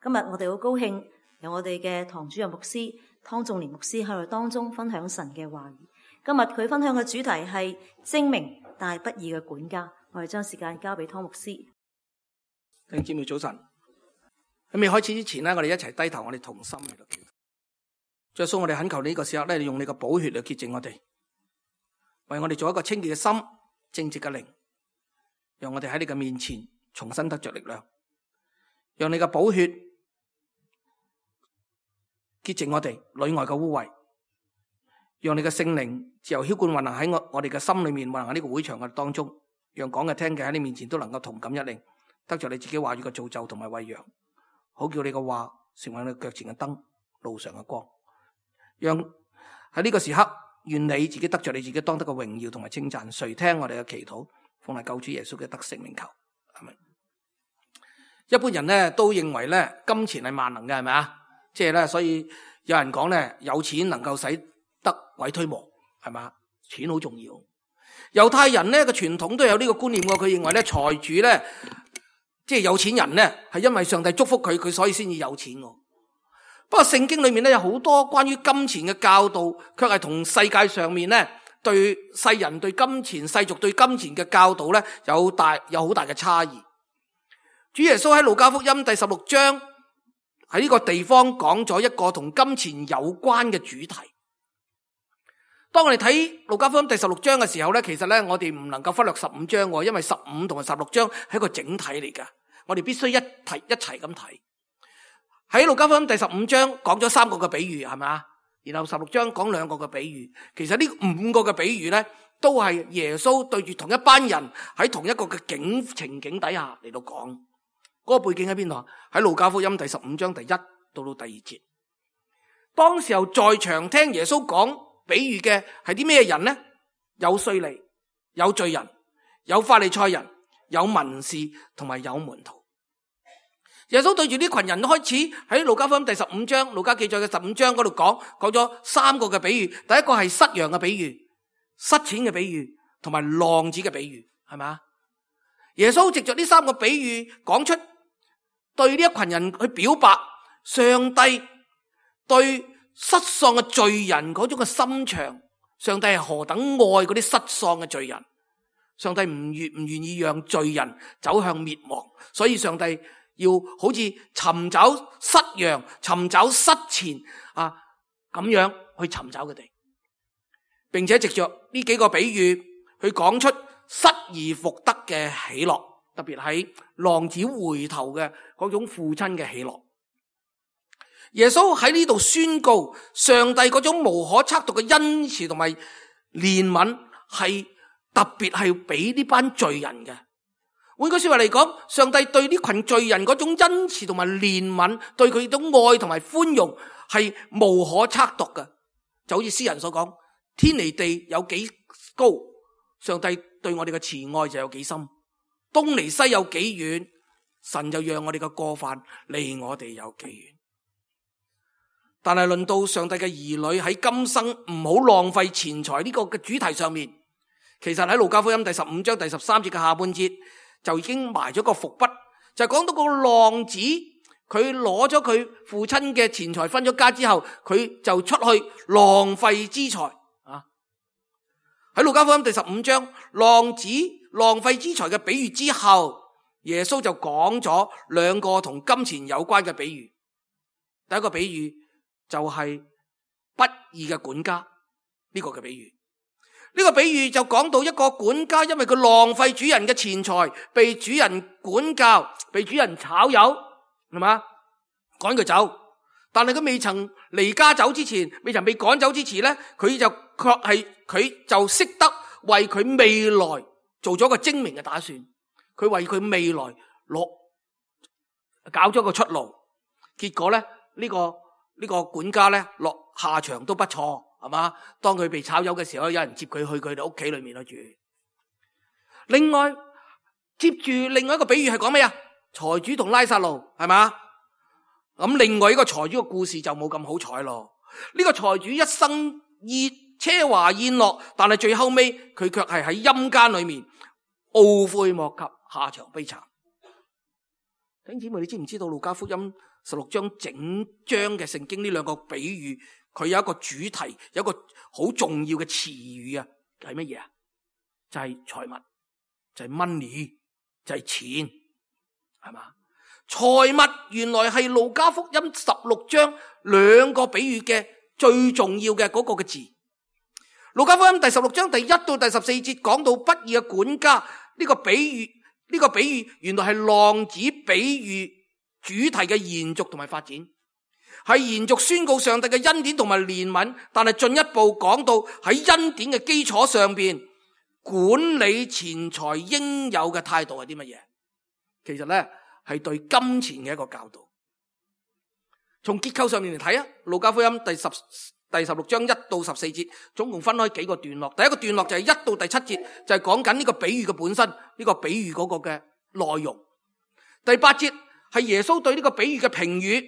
今日我哋好高興由我哋嘅堂主任牧師湯仲年牧師喺我哋當中分享神嘅話語。今日佢分享嘅主題係精明但係不義嘅管家。我哋將時間交俾湯牧師。弟兄姊妹早晨。喺未開始之前呢，我哋一齊低頭，我哋同心嚟到祈禱。主耶穌，我哋懇求你呢個時刻咧，你用你個寶血嚟潔淨我哋，為我哋做一個清潔嘅心、正直嘅靈，讓我哋喺你嘅面前重新得着力量，讓你嘅寶血潔淨我哋裏外嘅污穢，讓你嘅聖靈自由澆灌運行喺我哋嘅心裏面，運行喺呢個會場嘅當中，讓講嘅聽嘅喺你面前都能夠同感一靈，得着你自己話語嘅造就同埋餵養，好叫你嘅話成為你腳前嘅燈，路上嘅光。讓喺呢個時刻，願你自己得着你自己當得嘅榮耀同埋稱讚。垂聽我哋嘅祈禱，奉係救主耶穌嘅得勝名求，阿們。一般人咧都認為咧金錢係萬能嘅，係咪啊？即係咧，所以有人講咧，有錢能夠使得鬼推磨，係咪？錢好重要。猶太人咧嘅傳統都有呢個觀念，佢認為咧財主咧，即係有錢人咧，係因為上帝祝福佢，佢所以先至有錢。不過聖經裏面咧有好多關於金錢嘅教導，卻係同世界上面咧對世人對金錢、世俗對金錢嘅教導咧有好大嘅差異。主耶穌喺路加福音第16章喺呢個地方講咗一個同金錢有關嘅主題。當我哋睇路加福音第16章嘅時候咧，其實咧我哋唔能夠忽略15章，因為15同埋16章係一個整體嚟㗎，我哋必須一齊咁睇。喺路加福音第15章講咗3個嘅比喻，係咪啊？然後16章講2個嘅比喻。其實呢5個嘅比喻咧，都係耶穌對住同一班人喺同一個嘅情景底下嚟到講。嗰個背景喺邊度啊？喺路加福音第15章第1到第2節。當時候在場聽耶穌講比喻嘅係啲咩人呢？有稅吏，有罪人，有法利賽人，有文士同埋有門徒。耶穌對住呢群人開始喺路加福音第15章，路加記載嘅15章嗰度講咗3個嘅比喻。第一個係失羊嘅比喻，失錢嘅比喻，同埋浪子嘅比喻，係咪？耶穌藉着呢3個比喻講出對呢一群人去表白上帝對失喪嘅罪人嗰種嘅心腸，上帝係何等愛嗰啲失喪嘅罪人，上帝唔願意讓罪人走向滅亡，所以上帝要好似尋找失羊、尋找失錢咁樣去尋找佢哋，並且藉着呢幾個比喻去講出失而復得嘅喜樂，特別係浪子回頭嘅嗰種父親嘅喜樂。耶穌喺呢度宣告上帝嗰種無可測度嘅恩慈同埋憐憫係特別係俾呢班罪人嘅。換句說話嚟講，上帝對呢群罪人嗰種恩慈同埋憐憫，對佢種愛同埋寬容係無可測度嘅。就好似詩人所講，天離地有幾高，上帝對我哋嘅慈愛就有幾深；東離西有幾遠，神就讓我哋嘅過犯離我哋有幾遠。但係論到上帝嘅兒女喺今生唔好浪費錢財呢個嘅主題上面，其實喺路加福音第15章第13節嘅下半節就已經埋咗個伏筆，就係講到個浪子，佢攞咗佢父親嘅錢財分咗家之後，佢就出去浪費資財啊！喺路加福音第15章浪子浪費資財嘅比喻之後，耶穌就講咗2個同金錢有關嘅比喻。第一個比喻就係不義嘅管家，呢個嘅比喻。呢個比喻就講到一個管家，因為佢浪費主人嘅錢財，被主人管教，被主人炒魷，係嘛？趕佢走。但係佢未曾離家走之前，未曾被趕走之前咧，佢就識得為佢未來做咗個精明嘅打算。佢為佢未來搞咗個出路。結果咧，呢個管家咧落下場都不錯。係嘛？當佢被炒魷嘅時候，有人接佢去佢哋屋企裏面去住。另外，接住另外一個比喻係講咩啊？財主同拉撒路，係嘛？咁另外一個財主嘅故事就冇咁好彩咯。呢個財主一生奢華宴樂，但係最後尾佢卻係喺陰間裏面懊悔莫及，下場悲慘。弟兄姊妹，你知唔知道路加福音16章整章嘅聖經呢兩個比喻，佢有一個主題，有一個好重要嘅詞語啊，係乜嘢啊？就係財物，就係 money， 就係錢，係嘛？財物原來係路加福音16章兩個比喻嘅最重要嘅嗰個嘅字。路加福音第16章第1到第14節講到不義嘅管家，呢個比喻原來係浪子比喻主題嘅延續同埋發展，係延續宣告上帝嘅恩典同埋憐憫，但係進一步講到喺恩典嘅基礎上邊管理錢財應有嘅態度係啲乜嘢？其實咧係對金錢嘅一個教導。從結構上面嚟睇啊，路加福音第16章1到14節總共分開幾個段落。第一個段落就係1到第7節，就係講緊呢個比喻嘅本身，呢個比喻嗰個嘅內容。第8節係耶穌對呢個比喻嘅評語，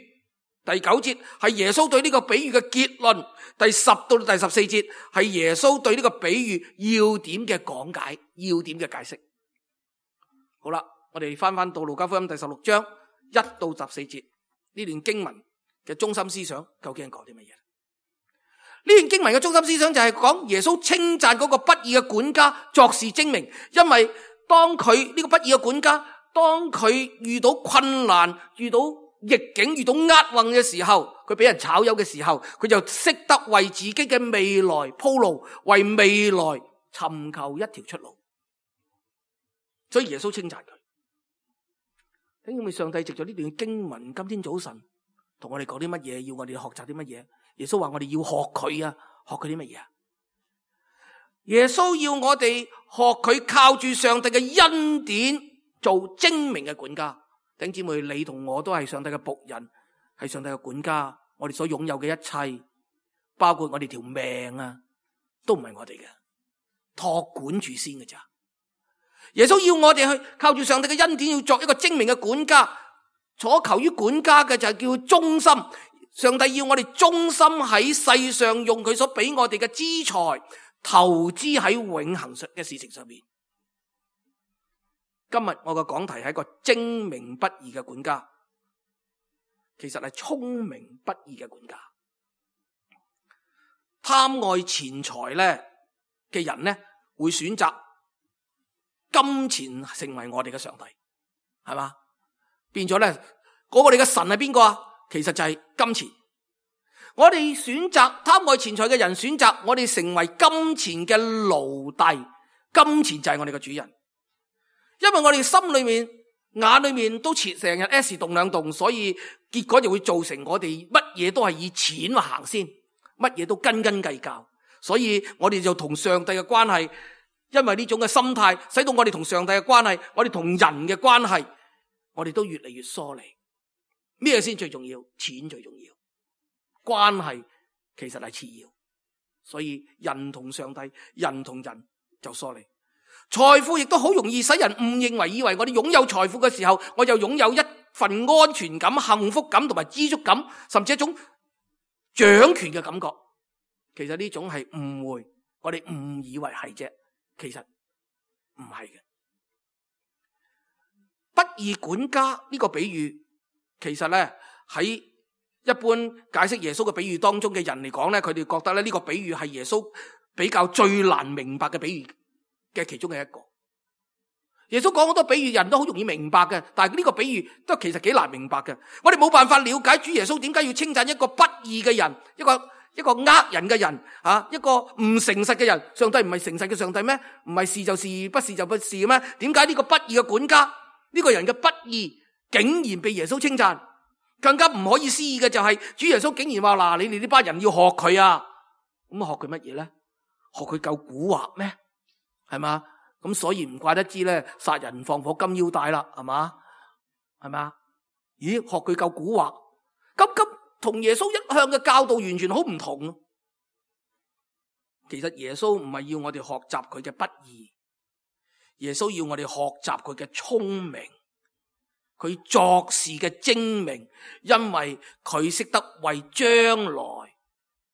第9節係耶穌對呢個比喻嘅結論，第10到第14節係耶穌對呢個比喻要點嘅講解，要點嘅解釋。好啦，我哋翻到路加福音第16章1到14節呢段經文嘅中心思想究竟係講啲乜嘢？呢段經文嘅中心思想就係講耶穌稱讚嗰個不義嘅管家作事精明，因為當佢呢個不義嘅管家，當佢遇到困難、遇到逆境、遇到厄運嘅時候，佢俾人炒魷嘅時候，佢就識得為自己嘅未來鋪路，為未來尋求一條出路。所以耶穌稱讚佢。聽見咪上帝藉咗呢段經文，今天早晨同我哋講啲乜嘢？要我哋學習啲乜嘢？耶穌話我哋要學佢啊，學佢啲乜嘢啊？耶穌要我哋學佢靠住上帝嘅恩典做精明嘅管家。弟兄姊妹，你同我都係上帝嘅僕人，係上帝嘅管家。我哋所擁有嘅一切，包括我哋條命啊，都唔係我哋嘅，託管住先嘅咋。耶穌要我哋去靠住上帝嘅恩典，要作一個精明嘅管家。所求於管家嘅就係叫忠心。上帝要我哋忠心喺世上，用佢所俾我哋嘅資財投資喺永恆嘅事情上面。今日我嘅講題係一個精明不義嘅管家，其實係聰明不義嘅管家。貪愛錢財咧嘅人咧，會選擇金錢成為我哋嘅上帝，係嘛？變咗咧，嗰個我哋嘅神係邊個啊？其實就係金錢。我哋選擇貪愛錢財嘅人，選擇我哋成為金錢嘅奴隸。金錢就係我哋嘅主人，因為我哋心裏面、眼裏面都成日 S 動兩動，所以結果就會造成我哋乜嘢都係以錢行先，乜嘢都斤斤計較。所以我哋就同上帝嘅關係，因為呢種嘅心態，使到我哋同上帝嘅關係，我哋同人嘅關係，我哋都越嚟越疏離。咩先最重要？錢最重要，關係其實係次要。所以人同上帝，人同人就疏離。財富亦都好容易使人誤認為，以為我哋擁有財富嘅時候，我就擁有一份安全感、幸福感同埋知足感，甚至一種掌權嘅感覺。其實呢種係誤會，我哋誤以為係啫，其實唔係嘅。不義管家呢個比喻，其實咧喺一般解釋耶穌嘅比喻當中嘅人嚟講咧，佢哋覺得咧呢個比喻係耶穌比較最難明白嘅比喻嘅其中嘅一個。耶穌講好多比喻，人都好容易明白嘅，但係呢個比喻都其實幾難明白嘅。我哋冇辦法了解主耶穌點解要稱讚一個不義嘅人，一個呃人嘅人啊，一個唔誠實嘅人。上帝唔係誠實嘅上帝咩？唔係是就是，不是就不是咩？點解呢個不義嘅管家，呢個人嘅不義竟然被耶穌稱讚？更加唔可以思議嘅就係主耶穌竟然話嗱，你哋呢班人要學佢啊！咁學佢乜嘢咧？學佢夠蠱惑咩？係嘛？咁所以唔怪得知咧，殺人放火金腰帶啦，係嘛？係嘛？咦，學佢夠蠱惑，咁同耶穌一向嘅教導完全好唔同。其實耶穌唔係要我哋學習佢嘅不義，耶穌要我哋學習佢嘅聰明，佢作事嘅精明，因為佢識得為將來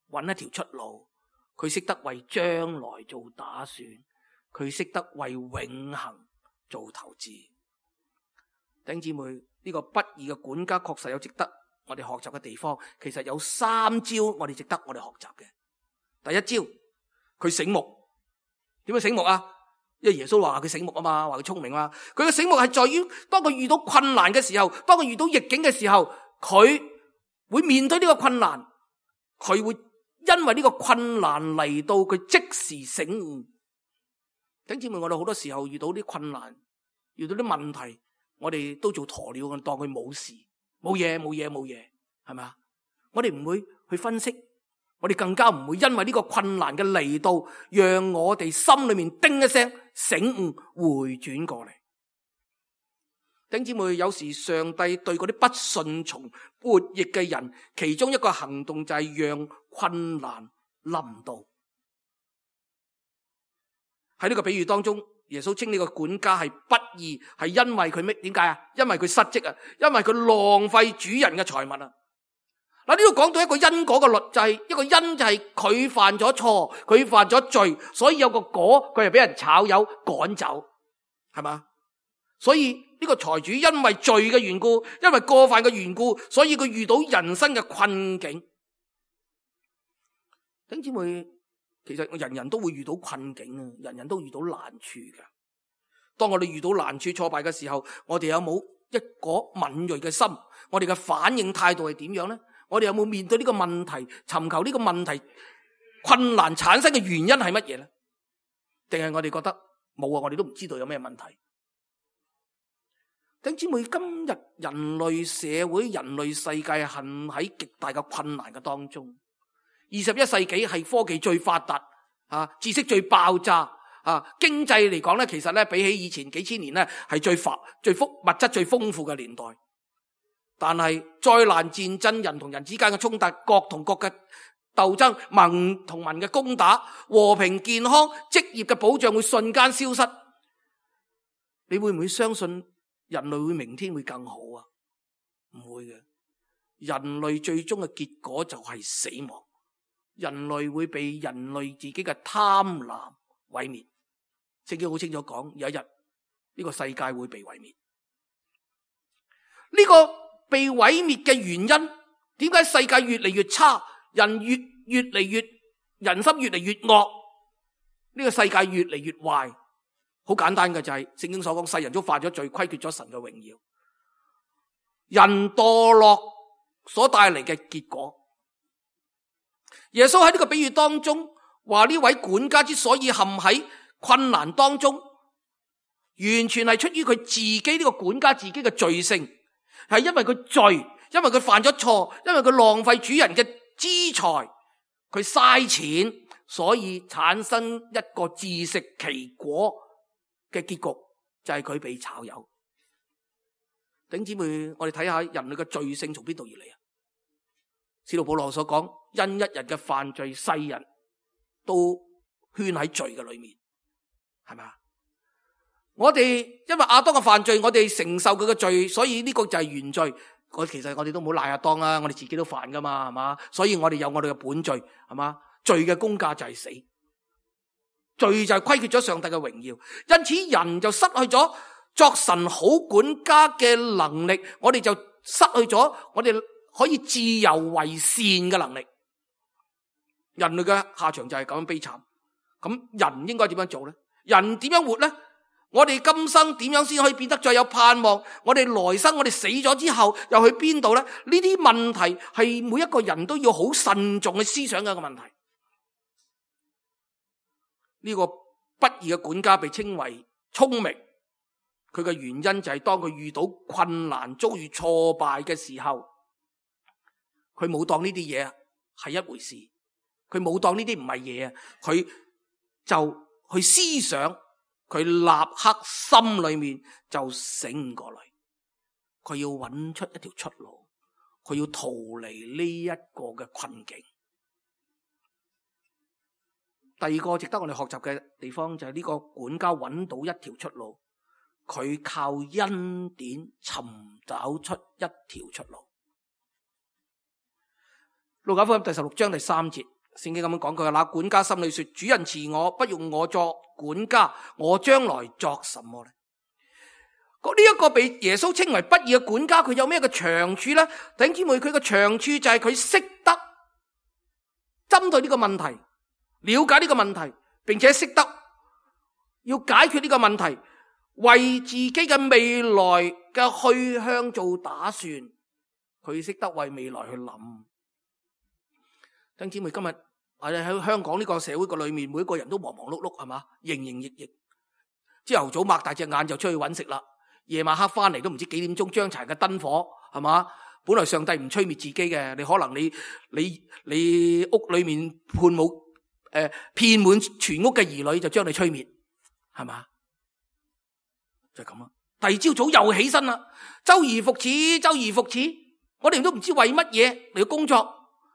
揾一條出路，佢識得為將來做打算，佢識得為永恆做投資。弟兄姊妹，呢呢個不義嘅管家確實有值得我哋學習嘅地方。其實有3招我哋值得我哋學習嘅。第一招，佢醒目。點樣醒目啊？因為耶穌話佢醒目啊嘛，話佢聰明啊。佢嘅醒目係在於當佢遇到困難嘅時候，當佢遇到逆境嘅時候，佢會面對呢個困難，佢會因為呢個困難嚟到佢即時醒悟。弟兄姊妹，我哋好多時候遇到啲困難，遇到啲問題，我哋都做鴕鳥，當佢冇事，冇嘢，係咪啊？我哋唔會去分析，我哋更加唔會因為呢個困難嘅嚟到，讓我哋心裏面叮一聲醒悟回轉過嚟。弟兄姊妹，有時上帝對嗰啲不順從悖逆嘅人，其中一個行動就係讓困難臨到。喺呢個比喻當中，耶穌稱呢個管家係不義，係因為佢咩？點解啊？因為佢失職啊，因為佢浪費主人嘅財物啊。嗱，呢度講到一個因果嘅律，就係一個因就係佢犯咗錯，佢犯咗罪，所以有個果，佢係俾人炒魷趕走，係嘛？所以呢個財主因為罪嘅緣故，因為過犯嘅緣故，所以佢遇到人生嘅困境。弟兄姊妹，其實人人都會遇到困境啊，人人都遇到難處嘅。當我哋遇到難處挫敗嘅時候，我哋有冇一個敏銳嘅心？我哋嘅反應態度係點樣呢？我哋有冇面對呢個問題，尋求呢個問題困難產生嘅原因係乜嘢呢？定係我哋覺得冇啊？我哋都唔知道有咩問題。弟兄姊妹，今日人類社會、人類世界陷喺極大嘅困難嘅當中。21世紀係科技最發達啊，知識最爆炸啊，經濟嚟講咧，其實咧比起以前幾千年咧係物質最豐富嘅年代。但係災難、戰爭、人同人之間嘅衝突、國同國嘅鬥爭、民同民嘅攻打、和平、健康、職業嘅保障會瞬間消失。你會唔會相信人類會明天會更好啊？唔會嘅，人類最終嘅結果就係死亡。人類會被人類自己嘅貪婪毀滅。聖經好清楚講，有一日呢個世界會被毀滅。呢個被毀滅嘅原因，點解世界越嚟越差，人心越嚟越惡，呢個世界越嚟越壞？好簡單嘅就係聖經所講，世人都犯咗罪，虧缺咗神嘅榮耀。人墮落所帶嚟嘅結果。耶穌喺呢個比喻當中話，呢位管家之所以陷喺困難當中，完全係出於佢自己，呢個管家自己嘅罪性，係因為佢罪，因為佢犯咗錯，因為佢浪費主人嘅資財，佢嘥錢，所以產生一個自食其果嘅結局，就係佢被炒魷。弟兄姊妹，我哋睇下人類嘅罪性從邊度而嚟啊？使徒保羅所講，因一人嘅犯罪，世人都圈喺罪嘅裏面，係咪啊？我哋因為亞當嘅犯罪，我哋承受佢嘅罪，所以呢個就係原罪。其實我哋都唔好賴亞當啊，我哋自己都犯噶嘛，係嘛？所以我哋有我哋嘅本罪，係嘛？罪嘅工價就係死，罪就係虧缺咗上帝嘅榮耀，因此人就失去咗作神好管家嘅能力，我哋就失去咗我哋可以自由為善嘅能力。人類嘅下場就係咁樣悲慘。咁人應該點樣做呢？人點樣活呢？我哋今生點樣先可以變得再有盼望？我哋來生，我哋死咗之後又去邊度呢？呢啲問題係每一個人都要好慎重去思想嘅一個問題。呢個不義嘅管家被稱為聰明，佢嘅原因就係當佢遇到困難、遭遇挫敗嘅時候，佢冇當呢啲嘢係一回事，佢冇當呢啲唔係嘢啊，佢就去思想，佢立刻心裏面就醒過嚟，佢要揾出一條出路，佢要逃離呢一個嘅困境。第二個值得我哋學習嘅地方就係呢個管家揾到一條出路，佢靠恩典尋找出一條出路。路加福音第16章第3節，聖經咁樣講，佢話：那管家心裏說，主人辭我，不用我作管家，我將來作什麼呢？呢一個被耶穌稱為不義嘅管家，佢有咩嘅長處呢？弟兄姊妹，佢嘅長處就係佢識得針對呢個問題，了解呢個問題，並且識得要解決呢個問題，為自己嘅未來嘅去向做打算。佢識得為未來去諗。弟兄姊妹，今日我哋喺香港呢個社會嘅裏面，每一個人都忙忙碌碌，係嘛，營營役役。朝頭早擘大隻眼就出去揾食啦。夜晚黑翻嚟都唔知幾點鐘，將柴嘅燈火，係嘛？本來上帝唔吹滅自己嘅，你可能你屋裏面遍滿全屋嘅兒女就將你吹滅，係嘛？就係咁啦。第二朝早又起身啦，周而復始，周而復始。我哋都唔知為乜嘢嚟工作，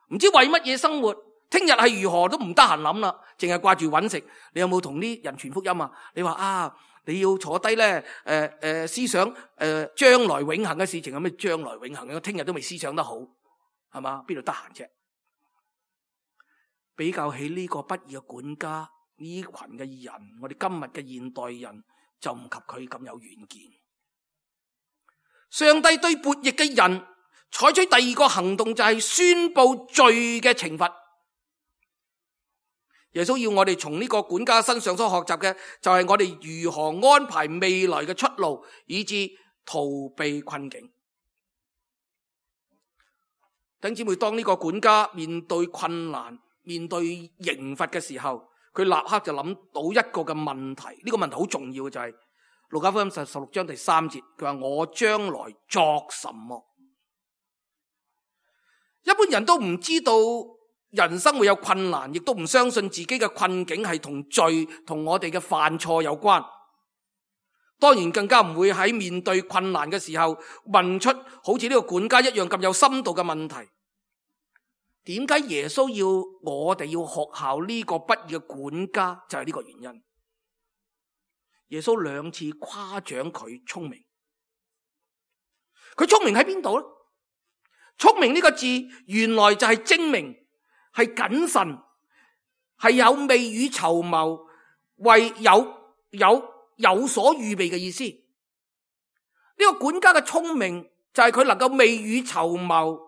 唔知為乜嘢生活，聽日係如何都唔得閒諗啦，淨係掛住揾食。你有冇同啲人傳福音啊？你話啊？你要坐低咧，思想將來永恆嘅事情，有咩將來永恆嘅？聽日都未思想得好，係嘛？邊度得閒啫？比較起呢個不義嘅管家，呢群嘅人，我哋今日嘅現代人就唔及佢咁有遠見。上帝對悖逆嘅人採取第二個行動，就係宣布罪嘅懲罰。耶穌要我哋從呢個管家身上所學習嘅，就係我哋如何安排未來嘅出路，以致逃避困境。弟兄姊妹，當呢個管家面對困難、面對刑罰嘅時候，佢立刻就諗到一個嘅問題。呢個問題好重要嘅，就係路加福音16章第3節，佢話我將來作什麼？一般人都唔知道人生會有困難，亦都唔相信自己嘅困境係同罪同我哋嘅犯錯有關。當然更加唔會喺面對困難嘅時候問出好似呢個管家一樣咁有深度嘅問題。點解耶穌要我哋要學效呢個不義嘅管家？就係呢個原因。耶穌2次誇獎佢聰明。佢聰明喺邊度呢？聰明呢個字原來就係精明，係謹慎，係有未雨綢繆，為有所預備嘅意思。呢個管家嘅聰明就係佢能夠未雨綢繆，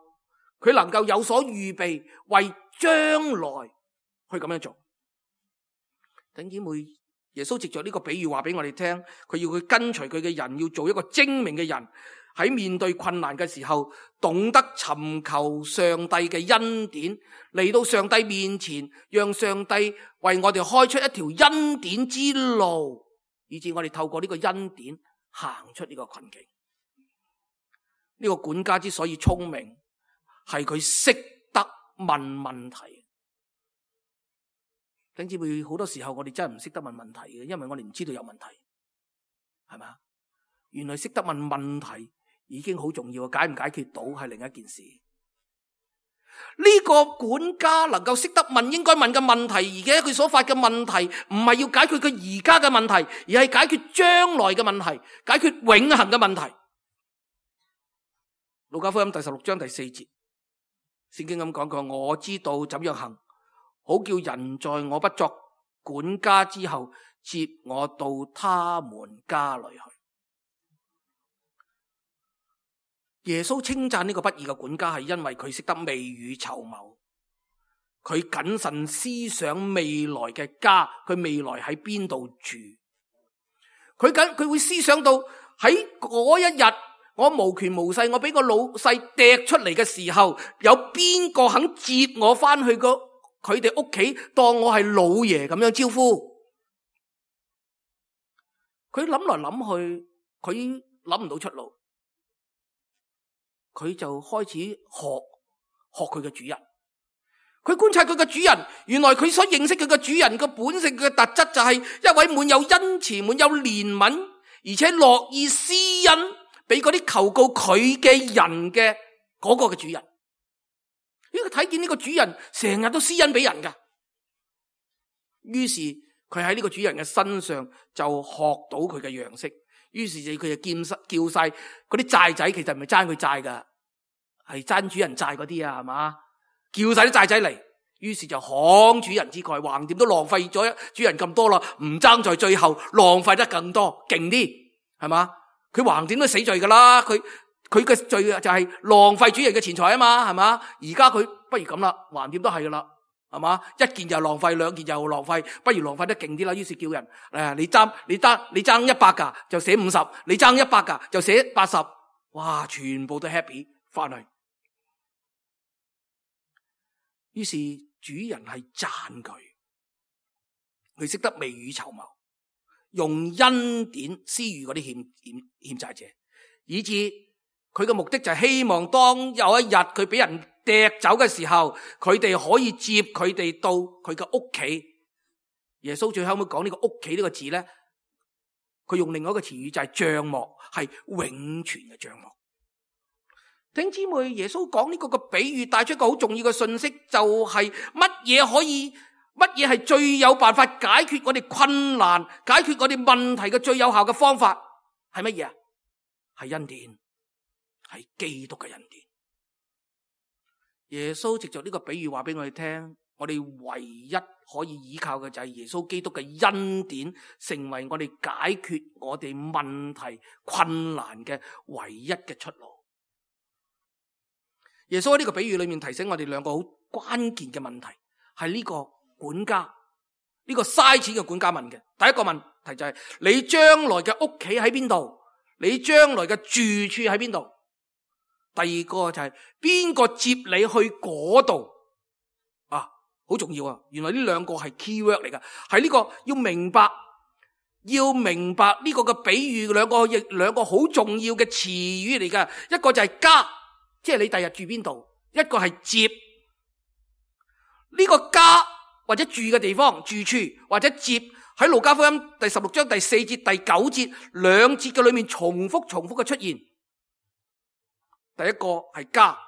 佢能夠有所預備，為將來去咁樣做。弟兄姊妹，耶穌藉着呢個比喻話俾我哋聽，佢要佢跟隨佢嘅人要做一個精明嘅人，喺面對困難嘅時候，懂得尋求上帝嘅恩典，嚟到上帝面前，讓上帝為我哋開出一條恩典之路，以致我哋透過呢個恩典行出呢個困境。呢個管家之所以聰明，係佢識得問問題。弟兄姊妹，好多時候我哋真係唔識得問問題嘅，因為我哋唔知道有問題，係咪？原來識得問問題已經好重要，解唔解決到係另一件事。呢個管家能夠識得問應該問嘅問題，而且佢所發嘅問題唔係要解決佢而家嘅問題，而係解決將來嘅問題，解決永恆嘅問題。路加福音第16章第4節，聖經咁講過，我知道怎樣行，好叫人在我不作管家之後，接我到他們家裏去。耶穌稱讚呢個不義嘅管家，係因為佢識得未雨綢繆，佢謹慎思想未來嘅家，佢未來喺邊度住，佢會思想到喺嗰一日我無權無勢，我俾個老細掟出嚟嘅時候，有邊個肯接我翻去佢哋屋企，當我係老爺咁樣招呼。佢諗來諗去，佢諗唔到出路。佢就開始學佢嘅主人，佢觀察佢嘅主人，原來佢所認識佢嘅主人嘅本性嘅特質就係一位滿有恩慈、滿有憐憫，而且樂意施恩俾嗰啲求告佢嘅人嘅嗰個嘅主人。因為佢睇見呢個主人成日都施恩俾人噶，於是佢喺呢個主人嘅身上就學到佢嘅樣式。於是佢就叫晒嗰啲債仔，其實唔係爭佢債噶，係爭主人債嗰啲啊，係嘛？叫晒啲債仔嚟，於是就慷主人之慨，橫掂都浪費咗主人咁多啦，唔爭在最後浪費得更多，勁啲，係嘛？佢橫掂都死罪噶啦，佢嘅罪就係浪費主人嘅錢財啊嘛，係嘛？而家佢不如咁啦，橫掂都係噶啦，係嘛？一件就浪費，兩件又浪費，不如浪費得勁啲啦。於是叫人你爭100噶就寫50，你爭100噶就寫80，哇，全部都 happy 翻去。於是主人係讚佢識得未雨綢繆，用恩典施予嗰啲欠債者，以致佢嘅目的就係希望當有一日佢俾人掟走嘅時候，佢哋可以接佢哋到佢嘅屋企。耶穌最後尾講呢個屋企呢個字咧，佢用另外一個詞語就係帳幕，係永存嘅帳幕。弟兄姊妹，耶穌講呢個比喻帶出一個好重要嘅信息，就係乜嘢係最有辦法解決我哋困難、解決我哋問題嘅最有效嘅方法係乜嘢啊？係恩典，係基督嘅恩典。耶穌藉着呢個比喻話俾我哋聽，我哋唯一可以依靠嘅就係耶穌基督嘅恩典，成為我哋解決我哋問題困難嘅唯一嘅出路。耶穌喺呢個比喻裏面提醒我哋兩個好關鍵嘅問題，係呢個管家，呢個嘥錢嘅管家問嘅。第一個問題就係你將來嘅屋企喺邊度？你將來嘅住處喺邊度？第二個就係邊個接你去嗰度？啊，好重要啊！原來呢兩個係 key word 嚟噶，係呢個要明白呢個嘅比喻，兩個好重要嘅詞語嚟噶。一個就係家，即係你第日住邊度；一個係接。呢個家或者住嘅地方、住處或者接，喺路加福音第16章第4節、第9節兩節嘅裏面重複嘅出現。第一個係家，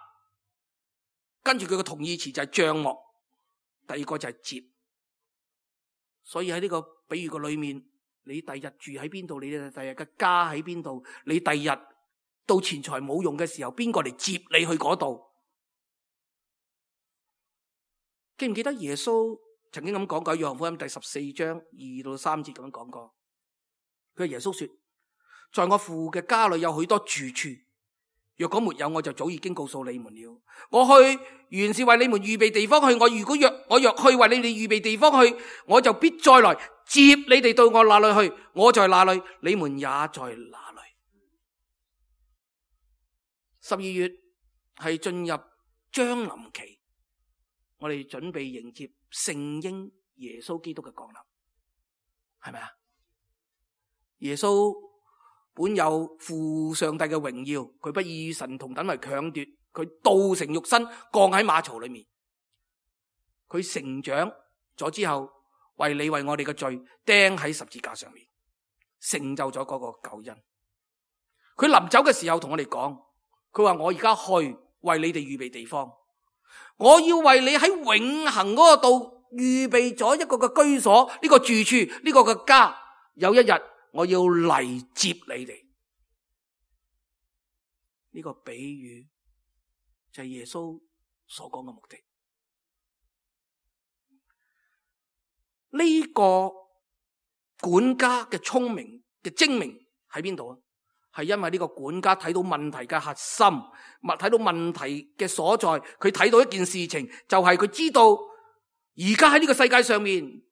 跟住佢嘅同義詞就係帳幕，第二個就係接。所以喺呢個比喻嘅裏面，你第日住喺邊度，你第日嘅家喺邊度，你第日到錢財冇用嘅時候，邊個嚟接你去嗰度？記唔記得耶穌曾經咁講過？約翰福音第14章2到3節咁樣講過。佢係耶穌說：在我父嘅家裏有許多住處，若果沒有，我就早已經告訴你們了。我去原是為你們預備地方去。我若去為你哋預備地方去，我就必再來接你哋到我那裏去。我在那裏，你們也在那裏。12月係進入將臨期，我哋準備迎接聖嬰耶穌基督嘅降臨，係咪啊？耶穌本有父上帝嘅榮耀，佢不以神同等為強奪，佢道成肉身降喺馬槽裏面，佢成長咗之後，為你為我哋嘅罪釘喺十字架上面，成就咗嗰個救恩。佢臨走嘅時候同我哋講，佢話我而家去為你哋預備地方，我要為你喺永恆嗰個度預備咗一個嘅居所，呢個住處，呢個嘅家。有一日我要嚟接你哋。呢個比喻就係耶穌所講嘅目的。呢個管家嘅聰明嘅精明喺邊度啊？係因為呢個管家睇到問題嘅核心，睇到問題嘅所在，佢睇到一件事情，就係佢知道而家喺呢個世界上面，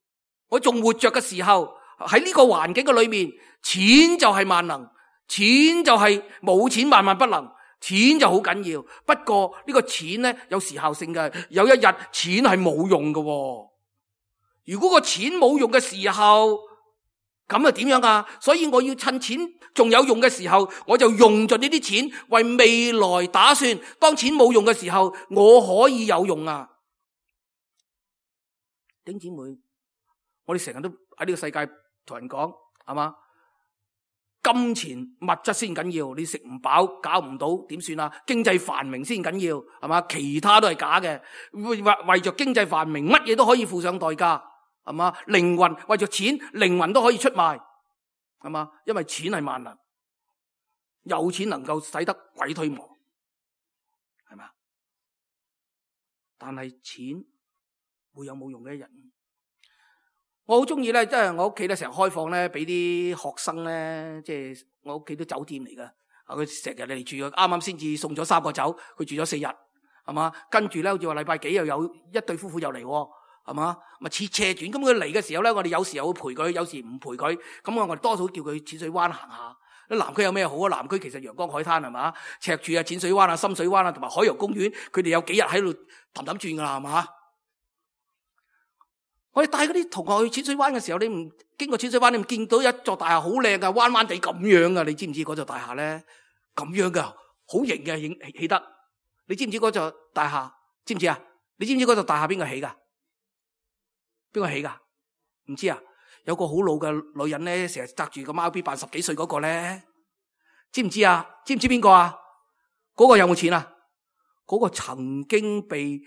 我仲活着嘅時候，喺呢個環境嘅裏面，錢就係萬能，錢就係冇錢萬萬不能，錢就好緊要。不過呢個錢呢，有時效性嘅，有一日錢係冇用嘅。如果個錢冇用嘅時候，咁啊點樣啊？所以我要趁錢仲有用嘅時候，我就用盡呢啲錢為未來打算。當錢冇用嘅時候，我可以有用啊！弟兄姊妹，我哋成日都喺呢個世界同人講，係嘛？金錢物質先緊要，你食唔飽搞唔到點算啊？經濟繁榮先緊要，係嘛？其他都係假嘅，為着經濟繁榮，乜嘢都可以付上代價。係嘛？靈魂為咗錢，靈魂都可以出賣，係嘛？因為錢係萬能，有錢能夠使得鬼推磨，係嘛？但係錢會有冇用嘅一日？我好中意咧，即係我屋企咧成日開放咧，俾啲學生咧，即係我屋企都酒店嚟噶。佢成日嚟住，啱啱先至送咗3個走，佢住咗4日，係嘛？跟住咧，好似話禮拜幾又有一對夫婦又嚟，係嘛？咪似斜轉咁。佢嚟嘅時候咧，我哋有時又會陪佢，有時唔陪佢。咁我哋多數叫佢淺水灣行下。南區有咩好啊？南區其實陽光海灘係嘛？赤柱啊、淺水灣啊、深水灣啊，同埋海洋公園，佢哋有幾日喺度氹氹轉噶啦，係嘛？我哋帶嗰啲同學去淺水灣嘅時候，你唔經過淺水灣，你唔見到一座大廈好靚噶，彎彎地咁樣噶，你知唔知嗰座大廈咧？咁樣噶，好型嘅起得。你知唔知嗰座大廈？知唔知啊？你知唔知嗰座大廈邊個起噶？邊個起噶？唔知啊？有個好老嘅女人咧，成日紮住個貓辮扮10幾歲嗰個咧，知唔知啊？知唔知邊個啊？嗰個有冇錢啊？嗰個曾經被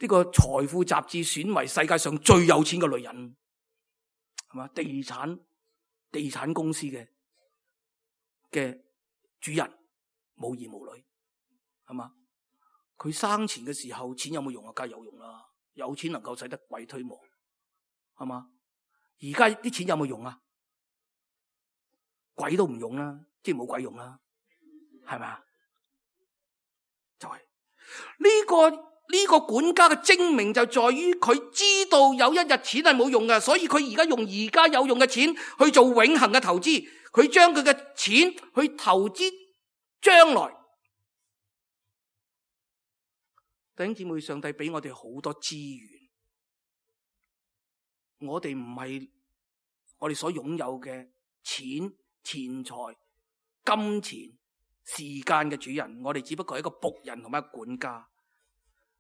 呢個財富雜誌選為世界上最有錢嘅女人，係嘛？地產公司嘅主人，冇兒冇女，係嘛？佢生前嘅時候，錢有冇用啊？梗係有用啦，有錢能夠使得鬼推磨，係嘛？而家啲錢有冇用啊？鬼都唔用啦，即係冇鬼用啦，係咪啊？就係呢個管家嘅精明就在於佢知道有一日錢係冇用嘅，所以佢而家用而家有用嘅錢去做永恆嘅投資，佢將佢嘅錢去投資將來。弟兄姊妹，上帝俾我哋好多資源。我哋唔係我哋所擁有嘅錢財、金錢、時間嘅主人，我哋只不過係一個僕人同埋一個管家。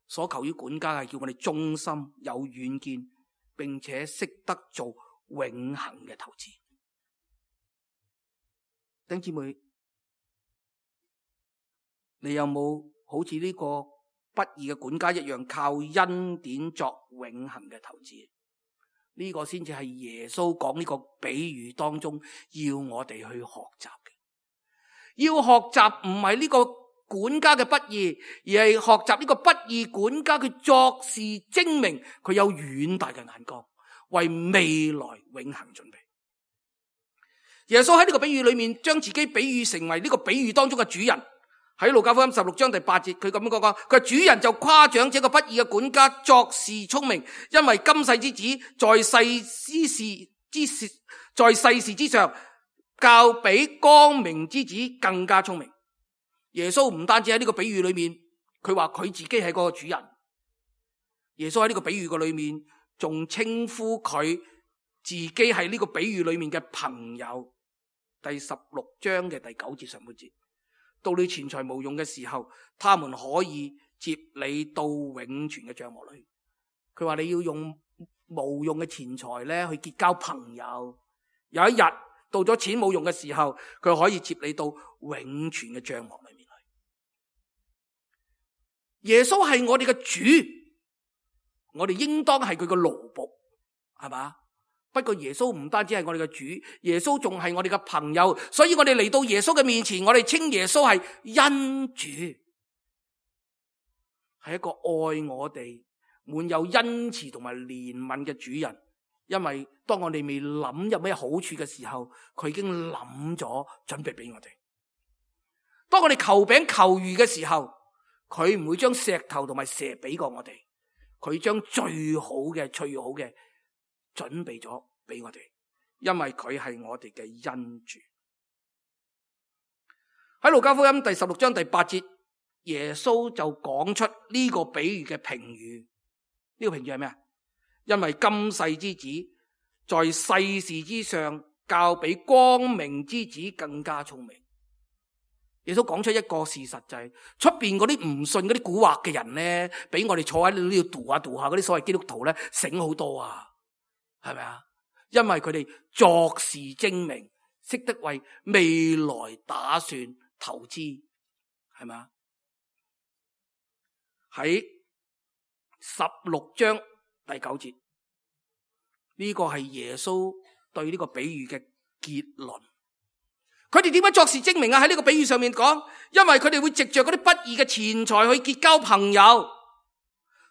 所求於管家係叫我哋忠心、有遠見，並且識得做永恆嘅投資。弟兄姊妹，你有冇好似呢個不義嘅管家一樣，靠恩典作永恆嘅投資？呢個先至係耶穌講呢個比喻當中要我哋去學習嘅。要學習唔係呢個管家嘅不義，而係學習呢個不義管家佢作事精明，佢有遠大嘅眼光，為未來永恆準備。耶穌喺呢個比喻裏面將自己比喻成為呢個比喻當中嘅主人。喺路加福音16章第8節，佢咁樣講，佢主人就誇獎這個不義嘅管家作事聰明，因為今世之子在世事之上，較比光明之子更加聰明。耶穌唔單止喺呢個比喻裏面，佢話佢自己係嗰個主人。耶穌喺呢個比喻嘅裏面，仲稱呼佢自己係呢個比喻裏面嘅朋友。第16章嘅第9節上半節。到你錢財無用嘅時候，他們可以接你到永存嘅帳幕裏。佢話你要用無用嘅錢財咧去結交朋友，有一日到咗錢冇用嘅時候，佢可以接你到永存嘅帳幕裏面去。耶穌係我哋嘅主，我哋應當係佢嘅奴僕，係嘛？不過耶穌唔單止係我哋嘅主，耶穌仲係我哋嘅朋友，所以我哋嚟到耶穌嘅面前，我哋稱耶穌係恩主，係一個愛我哋、滿有恩慈同埋憐憫嘅主人。因為當我哋未諗有咩好處嘅時候，佢已經諗咗準備俾我哋。當我哋求餅求魚嘅時候，佢唔會將石頭同埋蛇俾過我哋，佢將最好嘅準備咗俾我哋，因為佢係我哋嘅恩主。喺路加福音第16章第8節，耶穌就講出呢個比喻嘅評語。呢個評語係咩啊？因為今世之子在世事之上，較比光明之子更加聰明。耶穌講出一個事實，就係出邊嗰啲唔信嗰啲蠱惑嘅人咧，比我哋坐喺呢度度下嗰啲所謂基督徒咧醒好多啊！係咪啊？因為佢哋作事精明，識得為未來打算投資，係咪啊？喺16章第9節，呢個係耶穌對呢個比喻嘅結論。佢哋點樣作事精明啊？喺呢個比喻上面講，因為佢哋會藉着嗰啲不義嘅錢財去結交朋友。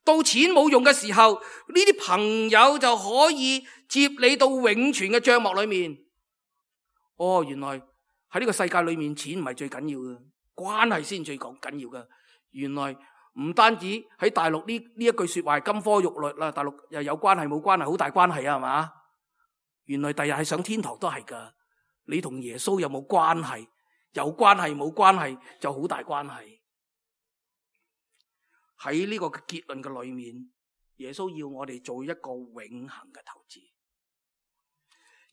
到錢冇用嘅時候，呢啲朋友就可以接你到永存嘅帳幕裏面。哦，原來喺呢個世界裏面，錢唔係最緊要嘅，關係先最緊要嘅。原來唔單止喺大陸呢一句說話係金科玉律啦，大陸又有關係冇關係，好大關係啊，係嘛？原來第日係上天堂都係噶。你同耶穌有冇關係？有關係冇關係就好大關係。喺呢個結論嘅裏面，耶穌要我哋做一個永恆嘅投資。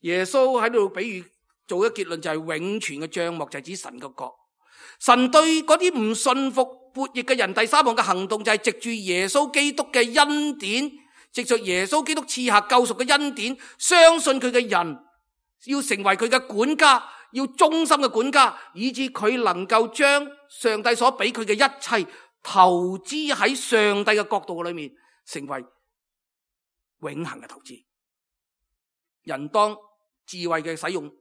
耶穌喺度比喻做一個結論，就係永存嘅帳幕，就係指神嘅國。神對嗰啲唔信服悖逆嘅人，第三項嘅行動就係藉住耶穌基督嘅恩典，藉住耶穌基督賜下救贖嘅恩典，相信佢嘅人要成為佢嘅管家，要忠心嘅管家，以致佢能夠將上帝所俾佢嘅一切投資喺上帝嘅國度裏面，成為永恆嘅投資。人當智慧嘅使用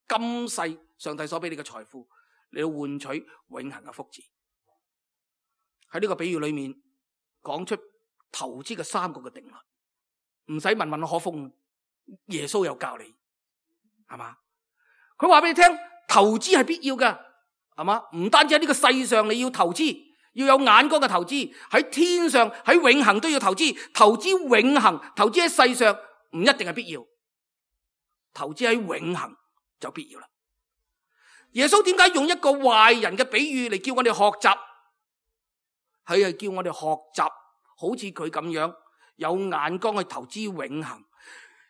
今世上帝所俾你嘅財富，你要換取永恆嘅福祉。喺呢個比喻裏面講出投資嘅三個嘅定律，唔使問可風，耶穌有教你，係嘛？佢話俾你聽，投資係必要嘅，係嘛？唔單止喺呢個世上你要投資，要有眼光嘅投資，喺天上喺永恆都要投資。投資永恆，投資喺世上唔一定係必要，投資喺永恆就必要啦。耶穌點解用一個壞人嘅比喻嚟叫我哋學習？佢係叫我哋學習好似佢咁樣有眼光去投資永恆。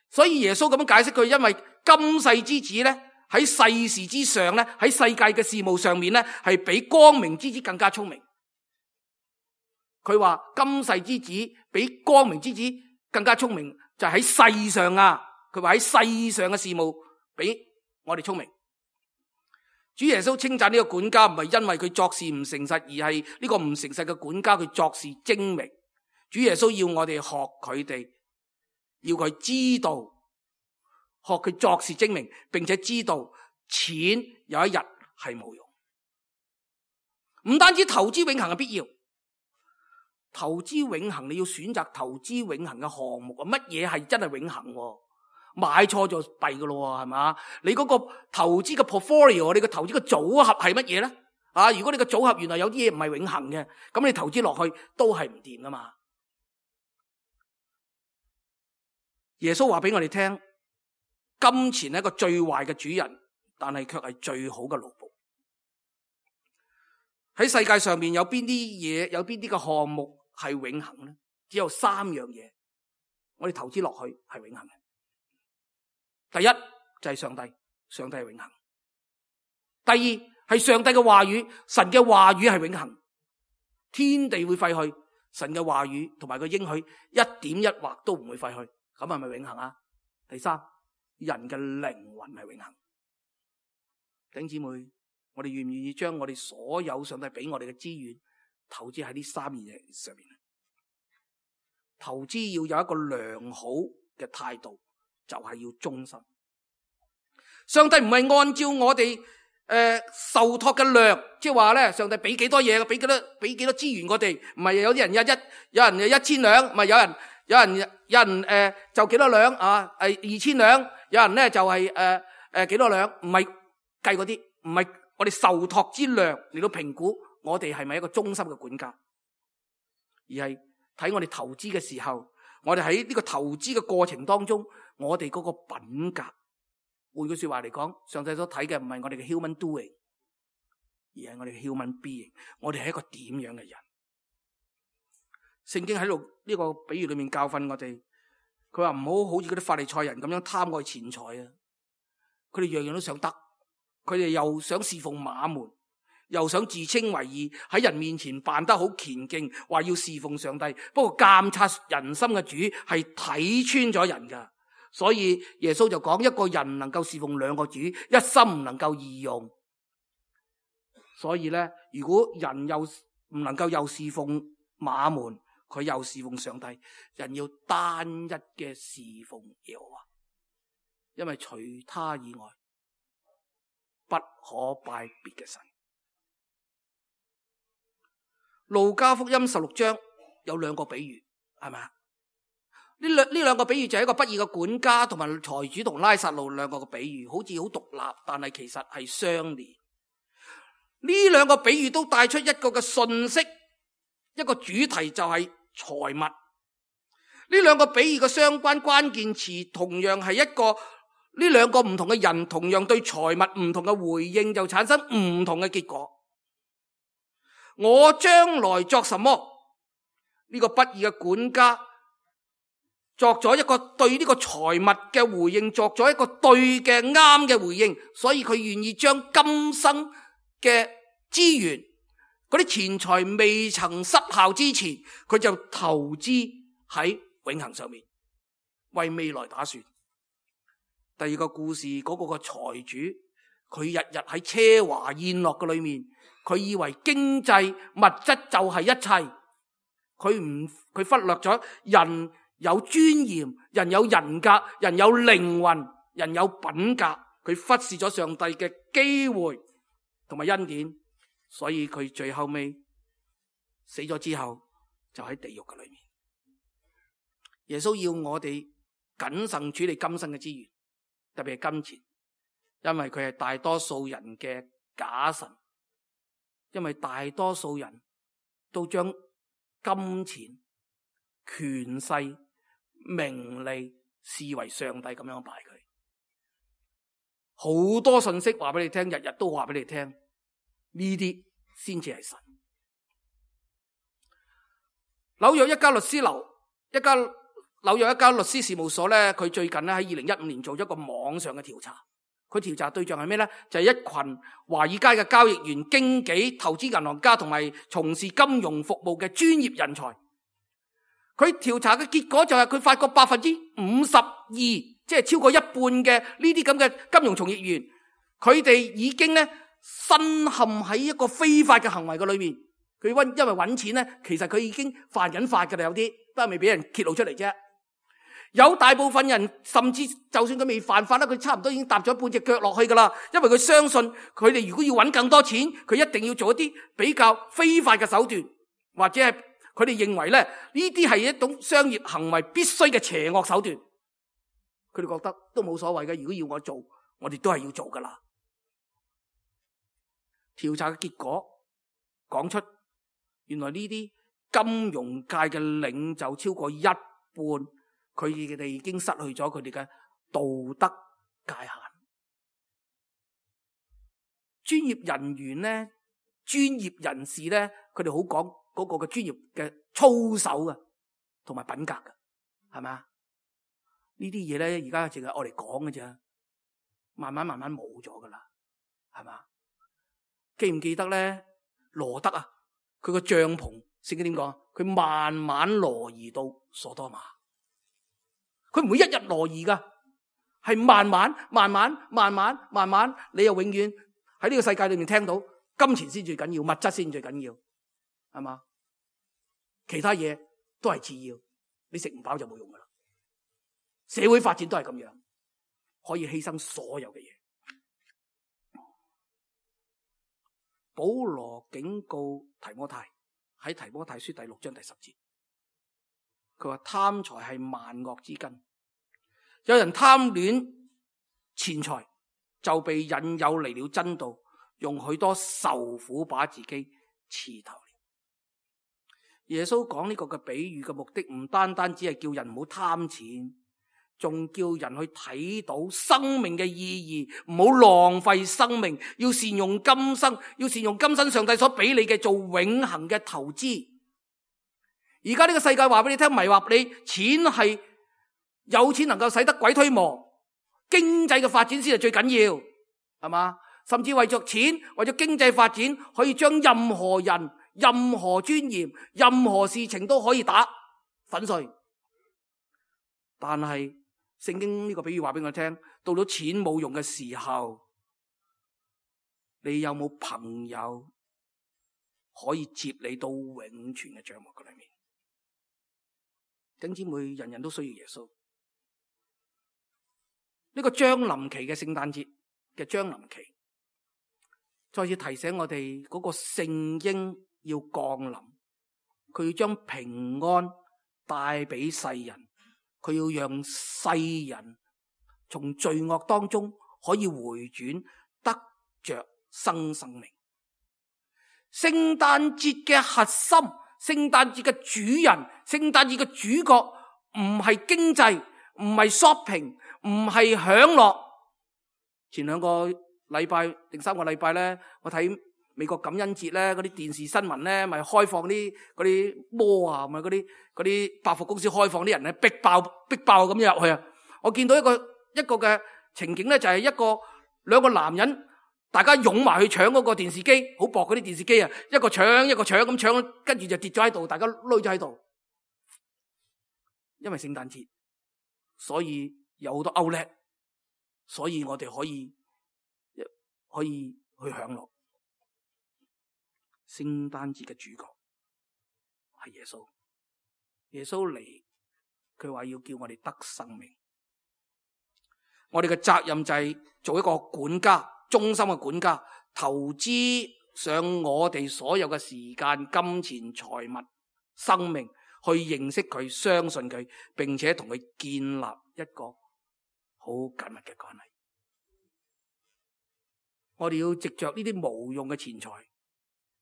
所以耶穌咁樣解釋佢，因為今世之子咧喺世事之上咧，喺世界嘅事務上面咧係比光明之子更加聰明。佢話今世之子比光明之子更加聰明，就係喺世上啊。佢話喺世上嘅事務比我哋聰明。主耶穌稱讚呢個管家唔係因為佢作事唔誠實，而係呢個唔誠實嘅管家佢作事精明。主耶穌要我哋學佢哋，要佢知道學佢作事精明，並且知道錢有一日係冇用。唔單止投資永恆係必要，投資永恆你要選擇投資永恆嘅項目啊！乜嘢係真係永恆？買錯就弊噶咯，係嘛？你嗰個投資嘅 portfolio， 你個投資嘅組合係乜嘢咧？啊，如果你個組合原來有啲嘢唔係永恆嘅，咁你投資落去都係唔掂噶嘛？耶穌話俾我哋聽，金錢係一個最壞嘅主人，但係卻係最好嘅奴僕。喺世界上面有邊啲嘢，有邊啲嘅項目係永恆咧？只有三樣嘢，我哋投資落去係永恆嘅。第一就係上帝，上帝係永恆。第二係上帝嘅話語，神嘅話語係永恆。天地會廢去，神嘅話語同埋個應許一點一劃都唔會廢去，咁係咪永恆啊？第三，人嘅靈魂係永恆。弟兄姊妹，我哋願唔願意將我哋所有上帝俾我哋嘅資源投資喺呢三樣嘢上面？投資要有一個良好嘅態度，就係要忠心。上帝唔係按照我哋受託嘅量，即係話咧，上帝俾幾多嘢，俾幾多資源我哋，唔係有啲人有人1000兩，唔係有人就幾多兩啊，2000兩，有人咧就係幾多兩，唔係計嗰啲，唔係我哋受託之量嚟到評估我哋係咪一個忠心嘅管家，而係睇我哋投資嘅時候，我哋喺呢個投資嘅過程當中，我哋嗰個品格。換句說話嚟講，上帝所睇嘅唔係我哋嘅 human doing， 而係我哋嘅 human being。我哋係一個點樣嘅人？聖經喺度呢個比喻裏面教訓我哋，佢話唔好好似嗰啲法利賽人咁樣貪愛錢財啊！佢哋樣樣都想得，佢哋又想侍奉馬門，又想自稱為義，喺人面前扮得好虔敬，話要侍奉上帝。不過監察人心嘅主係睇穿咗人噶。所以耶穌就講，一個人能夠侍奉兩個主，一心唔能夠二用。所以咧，如果人又唔能夠又侍奉馬門，佢又侍奉上帝，人要單一嘅侍奉耶和華，因為除他以外不可拜別嘅神。路加福音16章有兩個比喻，係咪啊？呢兩個比喻就係一個不義嘅管家同埋財主同拉撒路兩個嘅比喻，好似好獨立，但係其實係相連。呢兩個比喻都帶出一個嘅信息，一個主題就係財物。呢兩個比喻嘅相關關鍵詞同樣係呢兩個唔同嘅人同樣對財物唔同嘅回應，就產生唔同嘅結果。我將來作什麼？呢個不義嘅管家作咗一個對呢個財物嘅回應，作咗一個對嘅啱嘅回應，所以佢願意將今生嘅資源，嗰啲錢財未曾失效之前，佢就投資喺永恆上面，為未來打算。第二個故事，嗰個財主，佢日日喺奢華宴樂嘅裏面，佢以為經濟物質就係一切，佢忽略咗人有尊嚴，人有人格，人有靈魂，人有品格，佢忽視咗上帝嘅機會同埋恩典，所以佢最後尾死咗之後就喺地獄嘅裏面。耶穌要我哋謹慎處理今生嘅資源，特別係金錢，因為佢係大多數人嘅假神，因為大多數人都將金錢、權勢、名利視為上帝咁樣拜佢。好多信息話俾你聽，日日都話俾你聽，呢啲先至係神。紐約一家律師事務所咧，佢最近咧喺2015年做咗一個網上嘅調查。佢調查對象係咩咧？就係一群華爾街嘅交易員、經紀、投資銀行家同埋從事金融服務嘅專業人才。佢調查嘅結果就係佢發覺52%，即係超過一半嘅呢啲咁嘅金融從業員，佢哋已經咧深陷喺一個非法嘅行為嘅裏面。佢因為揾錢咧，其實佢已經犯緊法㗎啦，有啲都係未俾人揭露出嚟啫。有大部分人甚至就算佢未犯法啦，佢差唔多已經踏咗半隻腳落去噶啦，因為佢相信佢哋如果要揾更多錢，佢一定要做一啲比較非法嘅手段，或者係佢哋認為咧呢啲係一種商業行為必須嘅邪惡手段。佢哋覺得都冇所謂嘅，如果要我做，我哋都係要做噶啦。調查嘅結果講出，原來呢啲金融界嘅領袖超過一半，佢哋已經失去咗佢哋嘅道德界限。專業人員咧，專業人士咧，佢哋好講嗰個嘅專業嘅操守啊，同埋品格噶，係咪啊？呢啲嘢咧，而家淨係我哋講嘅啫，慢慢冇咗噶啦，係嘛？記唔記得咧？羅德啊，佢個帳篷，聖經點講？佢慢慢挪移到所多瑪。佢唔會一日挪移噶，係慢慢，你又永遠喺呢個世界裏面聽到金錢先最緊要，物質先最緊要，係嘛？其他嘢都係次要，你食唔飽就冇用噶啦。社會發展都係咁樣，可以犧牲所有嘅嘢。保羅警告提摩太，喺提摩太書第6章第10節。佢話貪財係萬惡之根，有人貪戀錢財，就被引誘離了真道，用許多愁苦把自己刺透了。耶穌講呢個嘅比喻嘅目的，唔單單只係叫人唔好貪錢，仲叫人去睇到生命嘅意義，唔好浪費生命，要善用今生，要善用今生上帝所俾你嘅做永恆嘅投資。而家呢個世界話俾你聽，迷惑你，錢係有錢能夠使得鬼推磨，經濟嘅發展先係最緊要，係嘛？甚至為咗錢，為咗經濟發展，可以將任何人、任何尊嚴、任何事情都可以打粉碎。但係聖經呢個比喻話俾我聽，到咗錢冇用嘅時候，你有冇朋友可以接你到永存嘅帳幕嘅裏面？弟兄姊妹，人人都需要耶穌。呢個將臨期嘅聖誕節嘅將臨期，再次提醒我哋嗰個聖嬰要降臨，佢要將平安帶俾世人，佢要讓世人從罪惡當中可以回轉，得着生命。聖誕節嘅核心，聖誕節嘅主人，聖誕節嘅主角唔係經濟，唔係 shopping， 唔係享樂。前2個禮拜定3個禮拜咧，我睇美國感恩節咧，嗰啲電視新聞咧，咪開放嗰啲摩啊，咪嗰啲百貨公司開放啲人咧，逼爆咁入去啊！我見到一個嘅情景咧，就係兩個男人，大家擁埋去搶嗰個電視機，好薄嗰啲電視機啊，一個搶咁搶，跟住就跌咗喺度，大家攏咗喺度。因為聖誕節，所以有好多 outlet，所以我哋可以去享樂。聖誕節嘅主角係耶穌，耶穌嚟，佢話要叫我哋得生命。我哋嘅責任就係做一個管家，忠心嘅管家，投資上我哋所有嘅時間、金錢、財物、生命，去認識佢、相信佢，並且同佢建立一個好緊密嘅關係。我哋要藉着呢啲無用嘅錢財，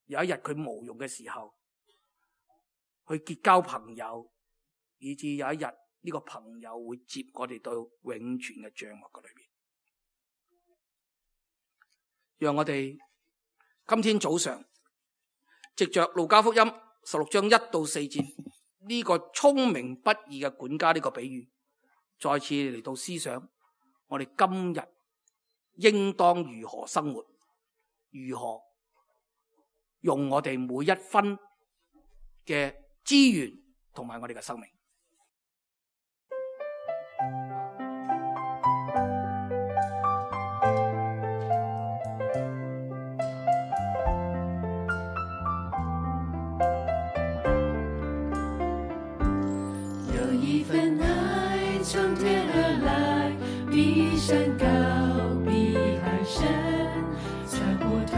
有一日佢無用嘅時候，去結交朋友，以至有一日呢個朋友會接我哋到永存嘅帳幕嘅裏邊。讓我哋今天早上藉着路加福音16章1到4節呢個聰明不義嘅管家呢個比喻，再次嚟到思想我哋今日應當如何生活，如何用我哋每一分嘅資源同埋我哋嘅生命。有一份愛從天而來，比山高，比海深，猜不透，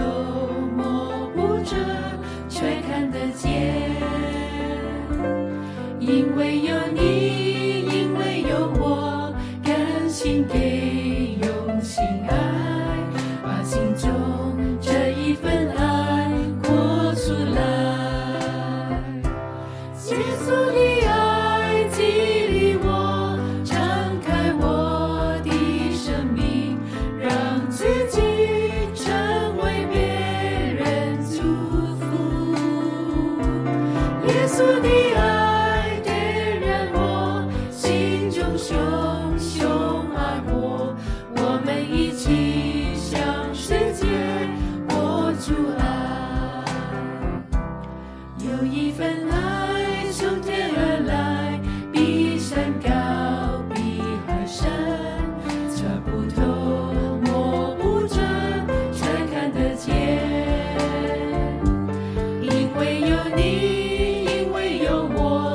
摸不着，卻看得見。因為有你，因為有我，甘心給，用心愛，把心中這一份愛活出來。耶穌的愛激勵我，敞開我的生命，讓自己成為別人祝福。耶穌的愛點燃我心中熊熊愛火，我們一起向世界播出愛。有一份愛從天而來，比山高，比海深，猜不透，摸不着，卻看得見。因為有你，因為有我，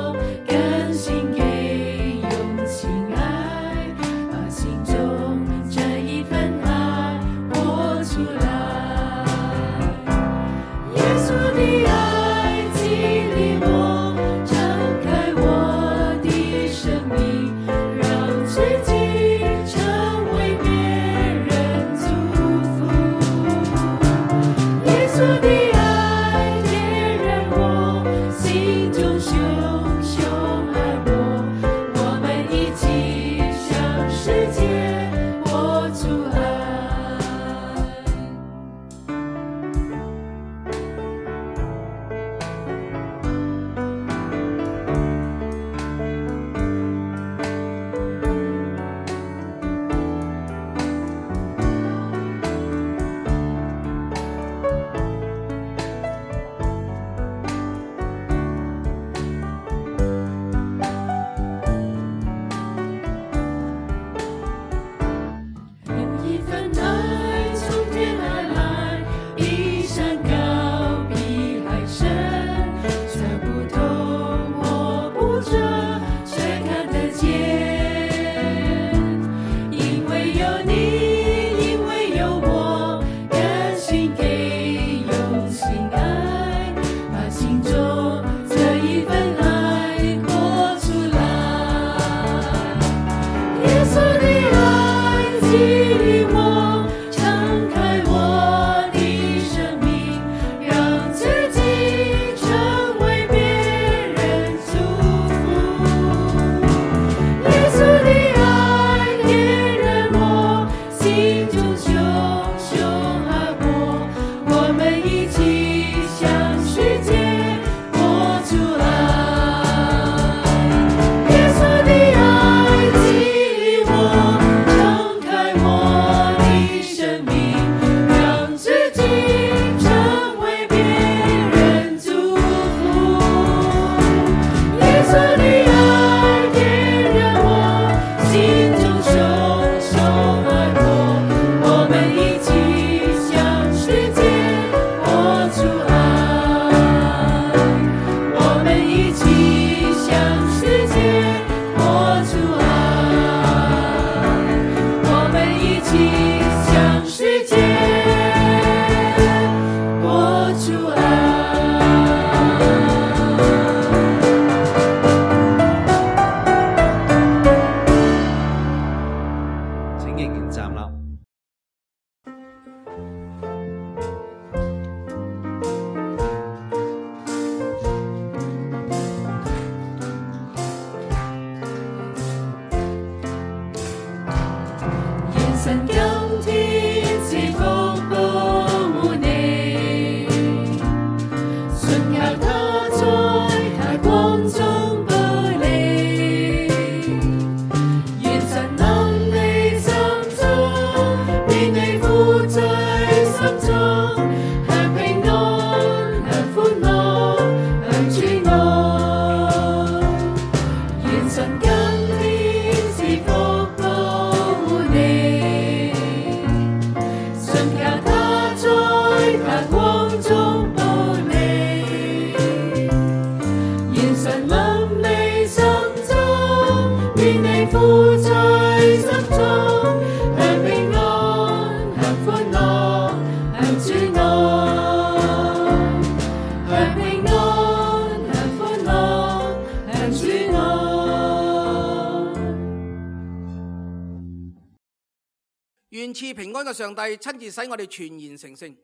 願賜平安嘅上帝親自使我哋全然成聖，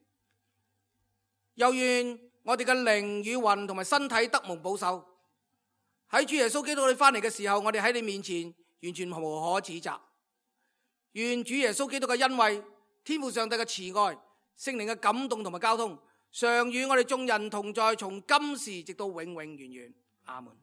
又願我哋嘅靈與魂同埋身體得蒙保守。喺主耶穌基督你翻嚟嘅時候，我哋喺你面前完全無可指責。願主耶穌基督嘅恩惠、天父上帝嘅慈愛、聖靈嘅感動同埋交通，常與我哋眾人同在，從今時直到永永遠遠。阿門。